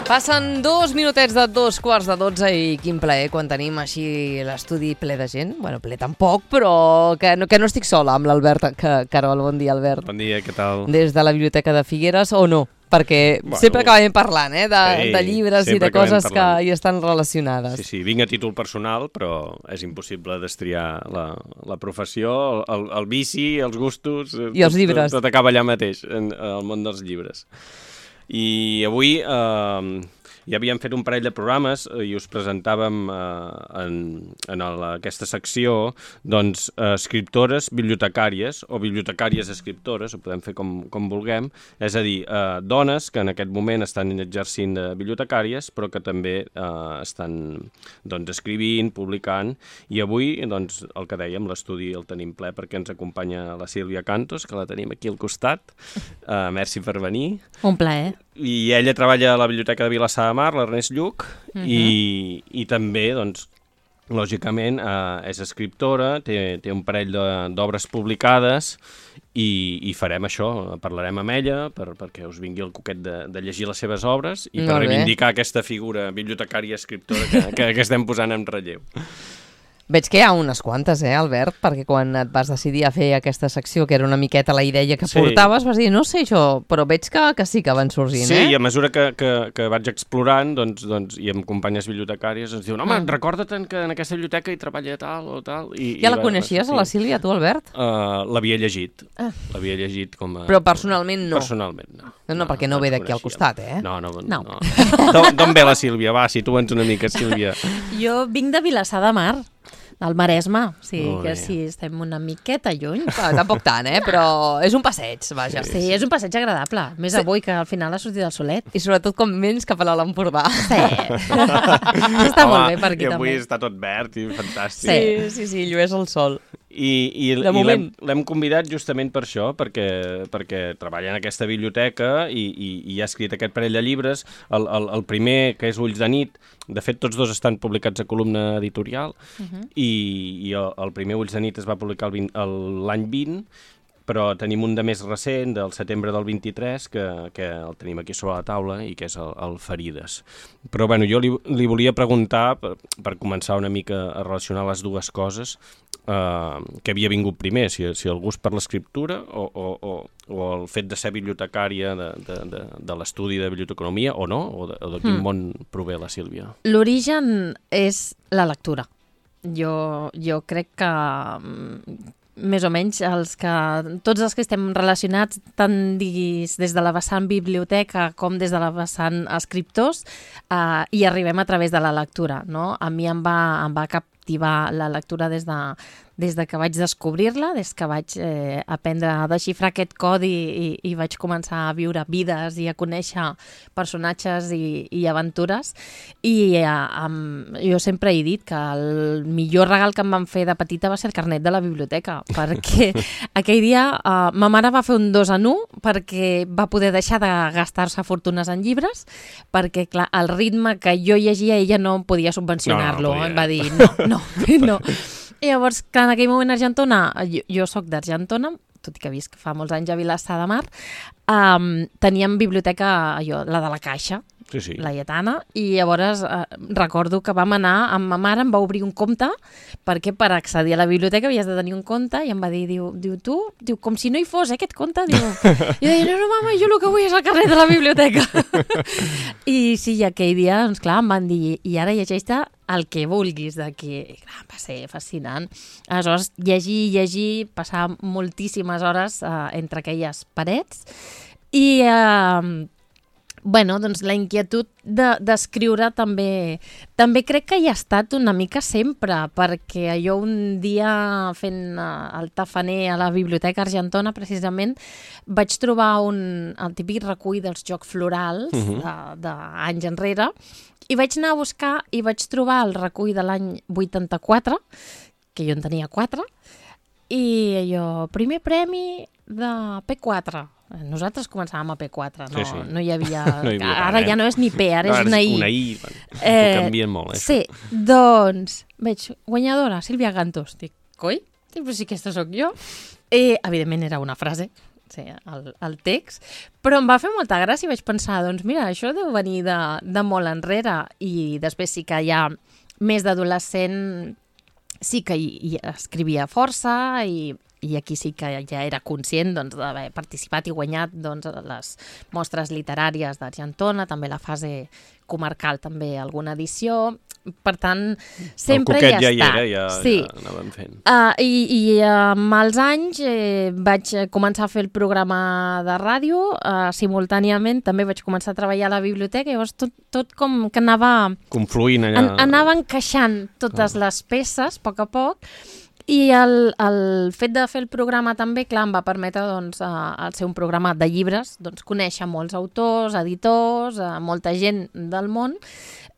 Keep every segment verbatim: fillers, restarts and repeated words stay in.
Passen dos minutets de dos quarts de dotze i quin plaer quan tenim així l'estudi ple de gent. Bueno, ple tampoc, però que no, que no estic sola amb l'Albert. Que, Carol, bon dia, Albert. Bon dia, què tal? Des de la Biblioteca de Figueres, o no? Perquè bueno, sempre acabem parlant eh, de, sí, de llibres i de coses que hi estan relacionades. Sí, sí, vinc a títol personal, però és impossible destriar la, la professió, el, el vici, els gustos... I els llibres. Tot, tot acaba allà mateix, en, en el món dels llibres. I avui eh, ja havíem fet un parell de programes i us presentàvem eh, en, en el, aquesta secció doncs, eh, escriptores bibliotecàries o bibliotecàries escriptores, ho podem fer com, com vulguem, és a dir, eh, dones que en aquest moment estan exercint de bibliotecàries però que també eh, estan doncs, escrivint, publicant, i avui doncs, el que dèiem, l'estudi el tenim ple perquè ens acompanya la Sílvia Cantos, que la tenim aquí al costat. Eh, merci per venir. Un plaer. I ella treballa a la Biblioteca de Vilassar de Mar, l'Ernest Lluch, uh-huh. i, i també, doncs, lògicament, eh, és escriptora, té, té un parell d'obres publicades i, i farem això, parlarem amb ella per, perquè us vingui el coquet de, de llegir les seves obres i per reivindicar aquesta figura bibliotecària escriptora que, que, que estem posant en relleu. Veig que hi ha unes quantes, eh, Albert? Perquè quan et vas decidir a fer aquesta secció, que era una miqueta la idea que sí. portaves, vas dir, no sé això, però veig que, que sí que van sorgint, sí, eh? Sí, i a mesura que, que, que vaig explorant, doncs, doncs, i amb companyes bibliotecàries, ens diuen, home, mm. recorda't que en aquesta biblioteca hi treballa tal o tal. I, ja i la coneixies, sí. a la Sílvia, tu, Albert? Uh, L'havia llegit, ah. l'havia llegit com a... Però personalment no? Personalment, no. No, no, no perquè no, no ve d'aquí al costat, eh? No, no. no. no. D'on ve la Sílvia? Va, situa'ns una mica, Sílvia. Jo vinc de Vilassar de Mar, del Maresme, o sigui oh, que yeah. sí, estem una miqueta lluny. Ah, tampoc tant, eh? Però és un passeig, vaja. Sí, sí, és un passeig agradable, més sí. avui que al final ha sortit el solet. I sobretot com menys cap a l'Empordà. Sí. Està Home, molt bé per aquí i avui també. Està tot verd i fantàstic. Sí, sí, sí, llueix el sol. I, i, i l'hem convidat justament per això, perquè, perquè treballa en aquesta biblioteca i, i, i ha escrit aquest parell de llibres. El, el, el primer, que és Ulls de nit, de fet tots dos estan publicats a Columna Editorial, uh-huh. i, i el, el primer Ulls de nit es va publicar l'any vint, però tenim un de més recent, del setembre del vint-i-tres, que, que el tenim aquí sobre la taula i que és el, el Ferides. Però bueno, jo li, li volia preguntar, per, per començar una mica a relacionar les dues coses, eh, què havia vingut primer, si, si el gust per l'escriptura o, o, o, o el fet de ser bibliotecària de, de, de, de l'estudi de biblioteconomia o no, o de, o de quin mm. món prové la Sílvia? L'origen és la lectura. Jo, jo crec que més o menys els que, tots els que estem relacionats tant diguis des de la vessant biblioteca com des de la vessant escriptors eh, hi arribem a través de la lectura, no? A mi em va, em va captivar la lectura des de, des de que vaig descobrir-la, des que vaig eh, aprendre a desxifrar aquest codi i, i vaig començar a viure vides i a conèixer personatges i, i aventures. I eh, um, jo sempre he dit que el millor regal que em van fer de petita va ser el carnet de la biblioteca, perquè aquell dia eh, ma mare va fer un dos en un perquè va poder deixar de gastar-se fortunes en llibres, perquè clar, el ritme que jo llegia ella no podia subvencionar-lo. No, no, no em va dir, no, no, no. I llavors, clar, en aquell moment a Argentona, jo, jo soc d'Argentona, tot i que visc fa molts anys a Vilassar de Mar, um, teníem biblioteca, allò, la de la Caixa, sí, sí. la Lletana, i llavors eh, recordo que vam anar, amb ma mare em va obrir un compte, perquè per accedir a la biblioteca havies de tenir un compte, i em va dir, diu, diu tu, diu, com si no hi fos, eh, aquest compte, diu, i jo deia, no, no, mama, jo el que vull és el carnet de la biblioteca. I sí, i aquell dia, doncs clar, em van dir, i ara llegeix-te el que vulguis d'aquí. Clar, va ser fascinant. Aleshores, llegir, llegir, passar moltíssimes hores eh, entre aquelles parets, i eh, bueno, doncs la inquietud d'escriure de, també, també crec que hi ha estat una mica sempre, perquè jo un dia fent el tafaner a la Biblioteca Argentona, precisament, vaig trobar un, el típic recull dels jocs florals uh-huh. d'anys enrere, i vaig anar a buscar i vaig trobar el recull de l'any vuitanta-quatre, que jo en tenia quatre, i jo, primer premi de P quatre. Nosaltres començàvem a P quatre, no, sí, sí. no hi havia... No hi havia ara tant, ja no és ni P, ara no, és una I. Una I, bueno, eh, canvien molt, eh? Sí, doncs, veig, guanyadora, Sílvia Cantos. Dic, coi? Però si aquesta sóc jo. I, evidentment, era una frase. sí, el, el text, però em va fer molta gràcia i vaig pensar, doncs mira, això deu venir de, de molt enrere, i després sí que ja més d'adolescent sí que hi, hi escrivia força i, i aquí sí que ja era conscient doncs, d'haver participat i guanyat doncs, les mostres literàries d'Argentona, també la fase comarcal, també alguna edició. Per tant, sempre hi ha estat. El coquet ja hi era, ja, sí. ja anàvem fent. Uh, I i amb els anys eh, vaig començar a fer el programa de ràdio, uh, simultàniament també vaig començar a treballar a la biblioteca, llavors tot, tot com que anava... Confluint allà. An anava encaixant totes ah. les peces, a poc a poc, i el, el fet de fer el programa també, clar, em va permetre doncs, uh, ser un programa de llibres, doncs, conèixer molts autors, editors, uh, molta gent del món,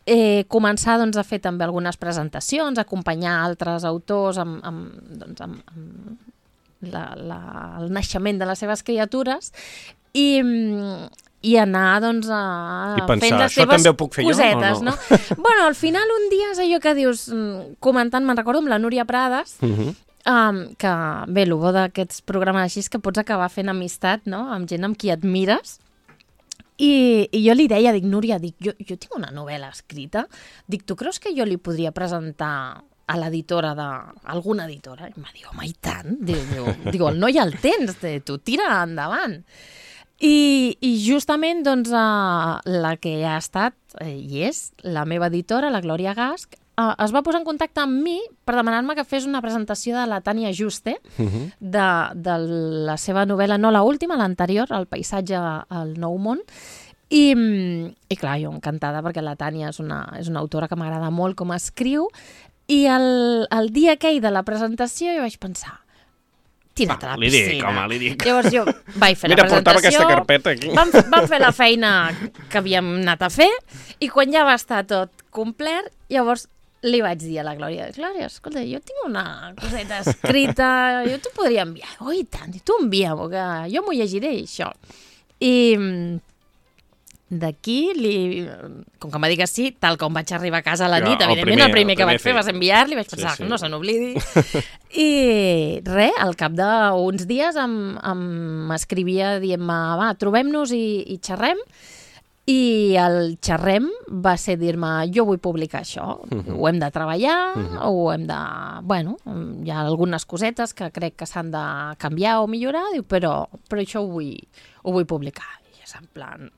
eh, començar doncs, a fer també algunes presentacions, acompanyar altres autors amb, amb, doncs, amb, amb la, la, el naixement de les seves criatures i, i anar doncs, a, I pensar, fent les això seves també ho puc fer cosetes. Jo, no? No? Bueno, al final un dia és allò que dius, comentant, me'n recordo amb la Núria Prades, uh -huh. um, que bé, el bo d'aquests programes així és que pots acabar fent amistat, no?, amb gent amb qui admires. I, i jo li deia, dic, Núria, dic, jo, jo tinc una novel·la escrita, dic, tu creus que jo li podria presentar a l'editora d'alguna editora? I em va dir, home, i tant? Diu, diu, diu, el noi el tens, tu tira endavant. I, i justament doncs, uh, la que ha estat eh, i és la meva editora, la Glòria Gasch, uh, es va posar en contacte amb mi per demanar-me que fes una presentació de la Tània Juste, uh-huh. de, de la seva novel·la, no la última, l'anterior, El paisatge al Nou món. I, i clar, jo encantada perquè la Tània és una, és una autora que m'agrada molt com escriu, i el, el dia aquell de la presentació jo vaig pensar, tira't a la li piscina. Dic, home, li dic. Llavors jo vaig fer Mira, la presentació, aquesta carpeta aquí. Vam, vam fer la feina que havíem anat a fer, i quan ja va estar tot complet, llavors li vaig dir a la Glòria, Glòria, escolta, jo tinc una coseta escrita, jo t'ho podria enviar. Oh, i tant, i tu envia-m'ho, que jo m'ho llegiré, això. I d'aquí, li... com que em va dir que sí, tal com vaig arribar a casa a la nit, ja, evidentment, el primer, el primer que el primer vaig fer va ser enviar-li, vaig pensar sí, sí. que no se n'oblidi. I res, al cap d'uns dies em, em escrivia dient-me, va, trobem-nos i, i xerrem, i el xerrem va ser dir-me, jo vull publicar això, uh-huh. ho hem de treballar, uh-huh. ho hem de... Bueno, hi ha algunes cosetes que crec que s'han de canviar o millorar, diu, però, però això ho vull, ho vull publicar. I és en plan...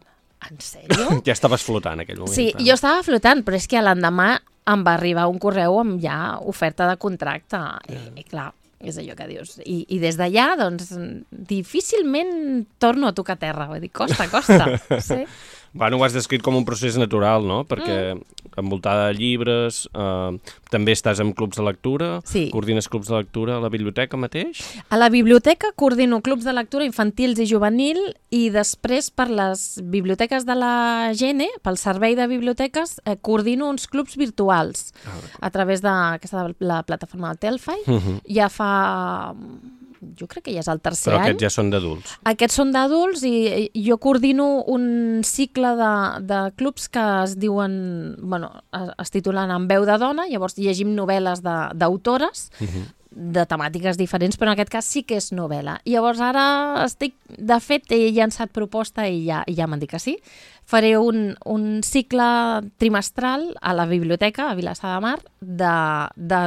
En sèrio? Ja estaves flotant en aquell moment. Sí, clar. Jo estava flotant, però és que l'endemà em va arribar un correu amb ja oferta de contracte. Yeah. I, I clar, és allò que dius. I, i des d'allà, doncs, difícilment torno a tocar terra. Vull dir, costa, costa. Sí. Bueno, ho has descrit com un procés natural, no? Perquè mm. envoltada de llibres, eh, també estàs en clubs de lectura, sí. coordines clubs de lectura a la biblioteca mateix? A la biblioteca coordino clubs de lectura infantils i juvenil, i després per les biblioteques de la Gene, pel servei de biblioteques, eh, coordino uns clubs virtuals ah, a través de aquesta, la plataforma del Telfai. Uh-huh. Ja fa... jo crec que ja és el tercer any. Però aquests ja són d'adults. Aquests són d'adults i jo coordino un cicle de, de clubs que es diuen, bueno, es, es titulen En veu de dona, llavors llegim novel·les d'autores, uh-huh. de temàtiques diferents, però en aquest cas sí que és novel·la. I llavors ara estic, de fet, he llançat proposta i ja, ja m'han dit que sí. Faré un, un cicle trimestral a la biblioteca, a Vilassar de Mar, de, de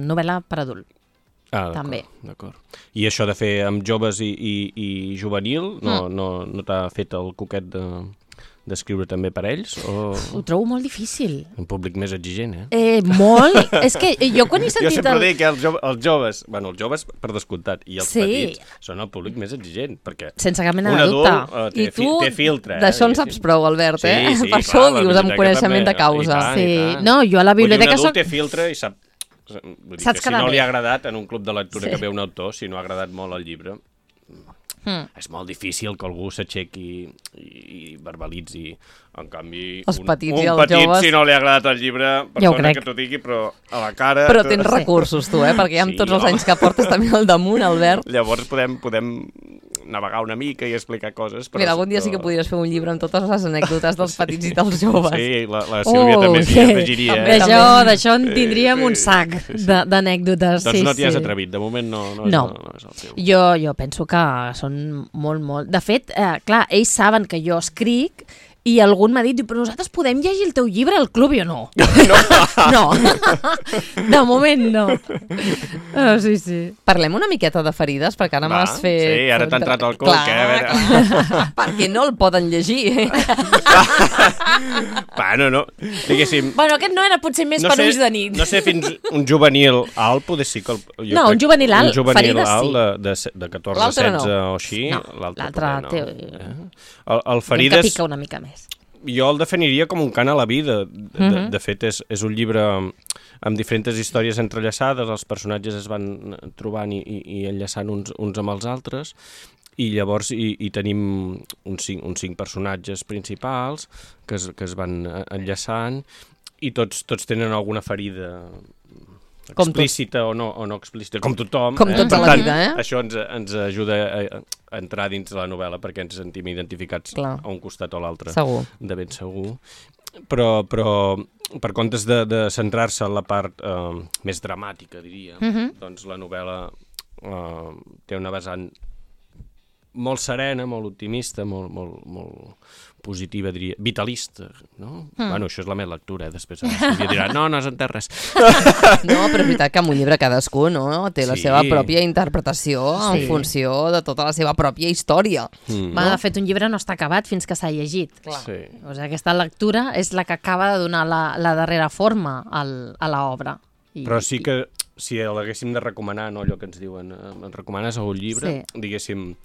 novel·la per adult. Ah, també. D'acord. I això de fer amb joves i, i, i juvenil, no, mm. no, no t'ha fet el coquet de, d'escriure també per ells? O... Ho trobo molt difícil. Un públic més exigent, eh? Eh, molt. És que jo quan he sentit... Jo sempre el... dic que els, jo, els joves, bueno, els joves per descomptat, i els sí. petits són el públic més exigent, perquè sense cap mena de dubte. Uh, té, I tu té filtre. D'això en saps prou, Albert, eh? Sí, sí, per clar, això ho dius amb coneixement també. de causa. I tant, sí. i tant. No, jo a la biblioteca soc... Un adult soc... té filtre i sap... Vull dir Saps que si no bé. li ha agradat en un club de lectura sí. que ve un autor, si no ha agradat molt el llibre, mm. és molt difícil que algú s'aixequi i, i verbalitzi. En canvi, els un, petits un i els petit, joves... si no li ha agradat el llibre, perdona que t'ho digui, però a la cara... Però tens recursos, tu, eh? Perquè ja amb sí, tots els no? anys que portes també al damunt, Albert. Llavors podem, podem navegar una mica i explicar coses. Però, Mira, algun dia però... sí que podries fer un llibre amb totes les anècdotes dels petits i dels joves. Sí, la, la Sílvia oh, també s'hi sí. afegiria. Eh? D'això en tindríem un sac d'anècdotes. Doncs sí, no t'hi has sí. atrevit, de moment no, no, no. És, no és el seu. Jo, jo penso que són molt, molt... De fet, eh, clar, ells saben que jo escric i algun m'ha dit, però nosaltres podem llegir el teu llibre al club? I jo no. No. No. De moment no. Oh, sí, sí. Parlem una miqueta de ferides, perquè ara m'has fet... Sí, ara t'ha entrat al cul. Clar, que, a veure... perquè no el poden llegir. Bueno, no, diguéssim... Bueno, aquest no era potser més no per sé, ulls de nit. No sé, fins un juvenil alt poder sí que... El, jo no, crec, un juvenil alt, un juvenil ferides alt sí. de, de, de catorze, setze no. o així. No, l'altre no. té... Eh? El, el ferides... Que pica una mica més. Jo el definiria com un cant a la vida. De, de, Mm-hmm. de fet, és, és un llibre amb diferents històries entrellaçades, els personatges es van trobant i, i, i enllaçant uns, uns amb els altres, i llavors hi, hi tenim uns cinc, uns cinc personatges principals que es, que es van enllaçant, i tots, tots tenen alguna ferida explícita o no, o no explícita, com tothom. Com eh? tota la vida, eh? Això ens, ens ajuda a, a entrar dins de la novel·la perquè ens sentim identificats Clar. a un costat o l'altre. Segur. De ben segur. Però, però per comptes de, de centrar-se en la part eh, més dramàtica, diria, Mm-hmm. doncs la novel·la eh, té una vessant molt serena, molt optimista, molt, molt, molt positiva, diria, vitalista, no? Mm. Bueno, això és la meva lectura, eh? Després la Sílvia dirà, no, no has entès res. No, però és veritat que amb un llibre cadascú, no? Té la Sí. seva pròpia interpretació en Sí. funció de tota la seva pròpia història. Mm. Va, de fet, un llibre no està acabat fins que s'ha llegit. Clar. Sí. O sigui, aquesta lectura és la que acaba de donar la, la darrera forma al, a l'obra. I- Però sí que si l'haguéssim de recomanar, no, allò que ens diuen, eh, ens recomanes un llibre, Sí. diguéssim,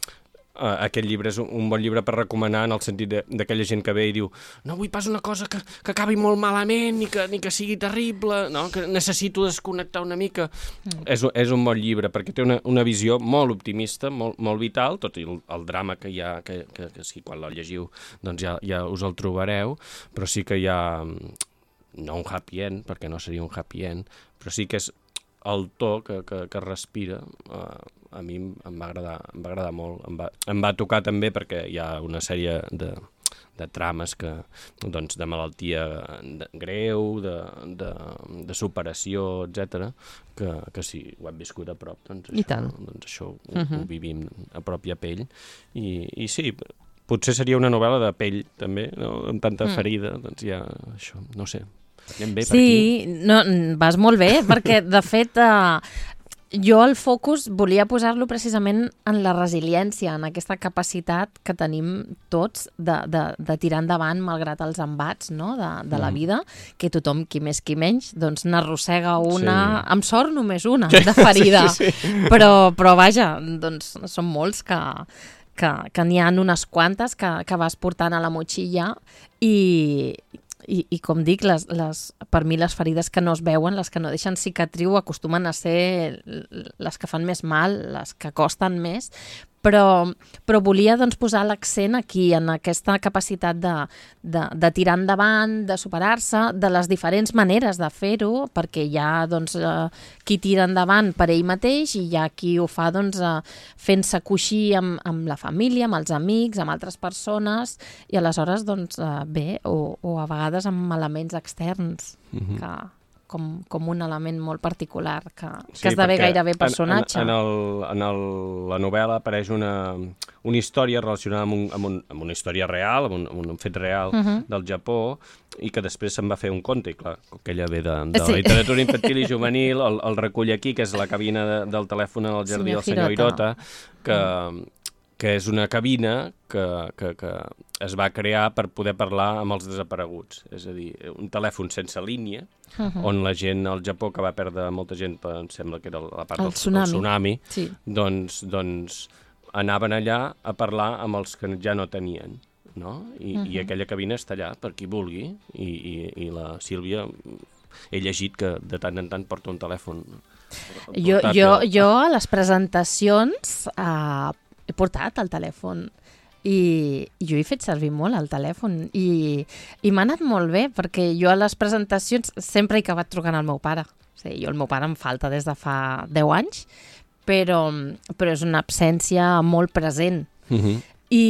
eh, aquest llibre és un, un bon llibre per recomanar en el sentit de- d'aquella gent que ve i diu no vull pas una cosa que, que acabi molt malament ni que, ni que sigui terrible, no? Que necessito desconnectar una mica. Mm. És, és un bon llibre perquè té una, una visió molt optimista, molt, molt vital, tot i el, el drama que hi ha, que, que, que sí, quan el llegiu doncs ja, ja us el trobareu, però sí que hi ha no un happy end, perquè no seria un happy end, però sí que és el to que, que, que respira, eh, a mi em va agradar, em va agradar molt. Em va, em va tocar també perquè hi ha una sèrie de, de trames que, doncs, de malaltia de, greu, de, de, de superació, etcètera, que, que si ho hem viscut a prop, doncs I això, tant. doncs això ho, Mhm. ho vivim a prop i a pell. I, i sí, potser seria una novel·la de pell, també, no? Amb tanta Mm. ferida, doncs ja, això, no sé. Anem bé per aquí. Sí, no, vas molt bé, perquè de fet eh, jo el focus volia posar-lo precisament en la resiliència, en aquesta capacitat que tenim tots de, de, de tirar endavant malgrat els embats, no? de, de la Mm. vida, que tothom, qui més qui menys, doncs n'arrossega una, Sí. amb sort només una, de ferida. Sí, sí. Però, però vaja, doncs són molts que, que, que n'hi ha unes quantes que, que vas portant a la motxilla i, i, i com dic, les, les, per mi les ferides que no es veuen, les que no deixen cicatriu, acostumen a ser les que fan més mal, les que costen més, però, però volia doncs, posar l'accent aquí, en aquesta capacitat de, de, de tirar endavant, de superar-se, de les diferents maneres de fer-ho, perquè hi ha doncs, eh, qui tira endavant per ell mateix i hi ha qui ho fa doncs, eh, fent-se coixir amb, amb la família, amb els amics, amb altres persones, i aleshores, doncs, eh, bé, o, o a vegades amb elements externs, Mhm. que, com, com un element molt particular, que, Sí, que esdevé perquè gairebé personatge. En, en, en, el, en el, la novel·la apareix una, una història relacionada amb, un, amb, un, amb una història real, amb un, amb un fet real Uh -huh. del Japó, i que després se'n va fer un conte, i clar, que ella ve de, de Sí. la literatura infantil i juvenil, el, el recull aquí, que és la cabina de, del telèfon en el jardí Senyor del senyor Hirota. Hirota, que, que és una cabina que, que, que es va crear per poder parlar amb els desapareguts, és a dir, un telèfon sense línia, Uh -huh. on la gent al Japó, que va perdre molta gent, per, em sembla que era la part El del tsunami. del tsunami, Sí. doncs, doncs anaven allà a parlar amb els que ja no tenien, no? I, uh -huh. I aquella cabina està allà per qui vulgui, i, i, i la Sílvia, he llegit que de tant en tant porta un telèfon Jo, portàtil. jo, jo a les presentacions eh, he portat el telèfon i jo he fet servir molt el telèfon i, i m'ha anat molt bé perquè jo a les presentacions sempre he acabat trucant al meu pare. O sigui, jo el meu pare em falta des de fa deu anys, però, però és una absència molt present. Uh-huh. I,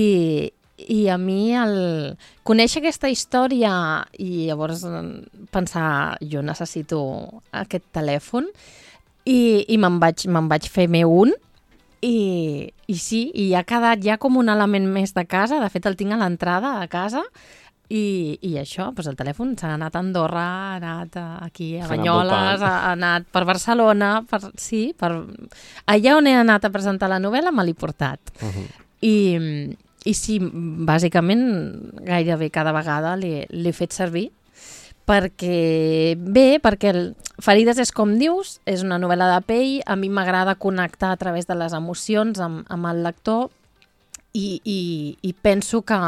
I a mi el conèixer aquesta història i llavors pensar, jo necessito aquest telèfon, i, i me'n vaig, me'n vaig fer meu un, i, i sí, i ha quedat ja com un element més de casa. De fet, el tinc a l'entrada de casa, i, i això, doncs el telèfon s'ha anat a Andorra, ha anat aquí a Banyoles, ha, ha anat per Barcelona, per, sí, per... allà on he anat a presentar la novel·la me l'he portat. Uh-huh. I, I sí, bàsicament, gairebé cada vegada l'he fet servir, perquè, bé, perquè el Ferides és com dius, és una novel·la de pell, a mi m'agrada connectar a través de les emocions amb, amb el lector, i, i, i penso que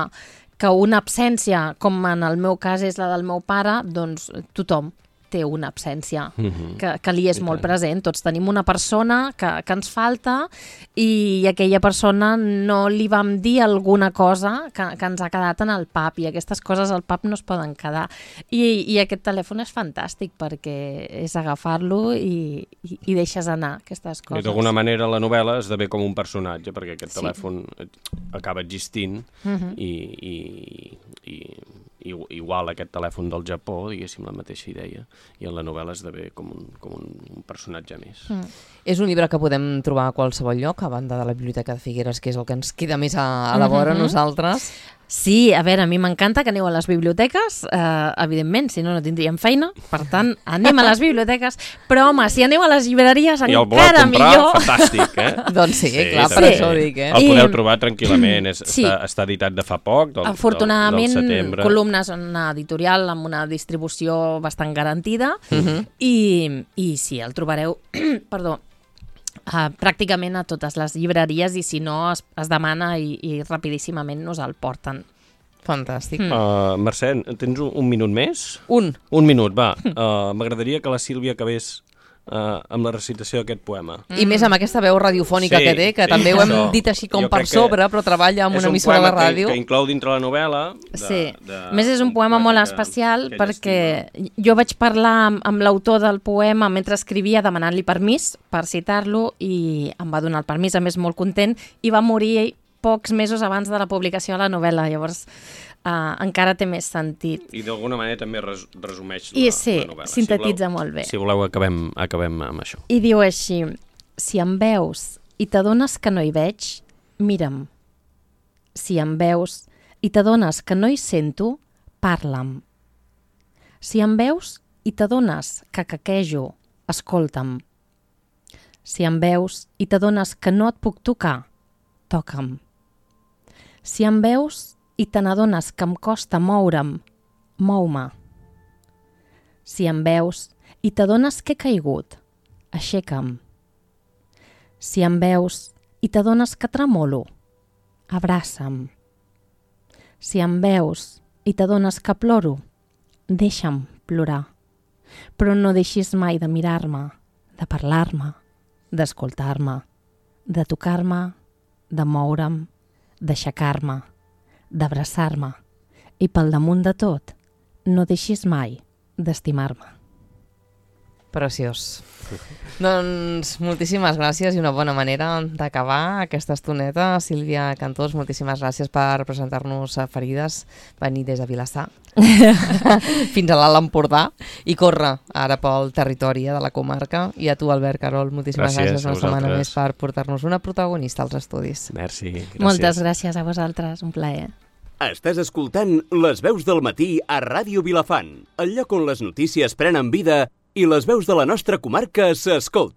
que una absència, com en el meu cas és la del meu pare, doncs tothom té una absència mm-hmm. que, que li és I molt tant. present. Tots tenim una persona que, que ens falta, i aquella persona no li vam dir alguna cosa que, que ens ha quedat en el pap, i aquestes coses al pap no es poden quedar. I, i aquest telèfon és fantàstic perquè és agafar-lo i, i, i deixes anar aquestes coses. I d'alguna manera la novel·la esdevé com un personatge, perquè aquest sí. telèfon acaba existint mm-hmm. i, i, i, i igual aquest telèfon del Japó, diguéssim, la mateixa idea, i en la novel·la esdevé com un, com un personatge més. Mm. És un llibre que podem trobar a qualsevol lloc, a banda de la Biblioteca de Figueres, que és el que ens queda més a, a la vora mm-hmm. nosaltres. Sí, a veure, a mi m'encanta que aneu a les biblioteques, eh, evidentment, si no, no tindríem feina, per tant, anem a les biblioteques, però home, si aneu a les llibreries, I encara comprar, millor. Fantàstic, eh? Doncs sí, sí clar, per també. això ho dic, eh? El podeu trobar tranquil·lament, és, sí. està, està editat de fa poc, del, Afortunadament, del, del setembre. Columnes, una editorial amb una distribució bastant garantida, uh-huh. i, i sí, el trobareu, perdó, Uh, pràcticament a totes les llibreries, i si no es, es demana i, i rapidíssimament nos el porten. Fantàstic. Mm. Uh, Mercè, tens un, un minut més? Un. Un minut, va. Uh, M'agradaria que la Sílvia acabés uh, amb la recitació d'aquest poema. I més amb aquesta veu radiofònica sí, que té, que sí, també ho hem això. dit així com Jo per sobre, però treballa amb una emissora de ràdio. Que, que inclou dintre la novel·la. De, sí, de, a més és un poema molt que, especial que perquè estima. Jo vaig parlar amb, amb l'autor del poema mentre escrivia, demanant-li permís per citar-lo, i em va donar el permís, a més molt content, i va morir pocs mesos abans de la publicació de la novel·la, llavors uh, encara té més sentit. I d'alguna manera també res, resumeix I la, sí, la novel·la. sintetitza si voleu, molt bé. Si voleu, acabem, acabem amb això. I diu així: si em veus i t'adones que no hi veig, mira'm. Si em veus i t'adones que no hi sento, parla'm. Si em veus i t'adones que caquejo, escolta'm. Si em veus i t'adones que no et puc tocar, toca'm. Si em veus i te n'adones que em costa moure'm, mou-me. Si em veus i t'adones que he caigut, aixeca'm. Si em veus i t'adones que tremolo, abraça'm. Si em veus i t'adones que ploro, deixa'm plorar. Però no deixis mai de mirar-me, de parlar-me, d'escoltar-me, de tocar-me, de moure'm, d'aixecar-me, d'abraçar-me, i pel damunt de tot, no deixis mai d'estimar-me. Preciós. Doncs moltíssimes gràcies i una bona manera d'acabar aquesta estoneta. Sílvia Cantós, moltíssimes gràcies per presentar-nos a Ferides, venir des de Vilassar fins a l'Alt Empordà i córrer ara pel territori de la comarca. I a tu, Albert Carol, moltíssimes gràcies, gràcies una setmana més per portar-nos una protagonista als estudis. Merci, gràcies. Moltes gràcies a vosaltres, un plaer. Estàs escoltant Les veus del matí a Ràdio Vilafant, el lloc on les notícies prenen vida i les veus de la nostra comarca s'escolten.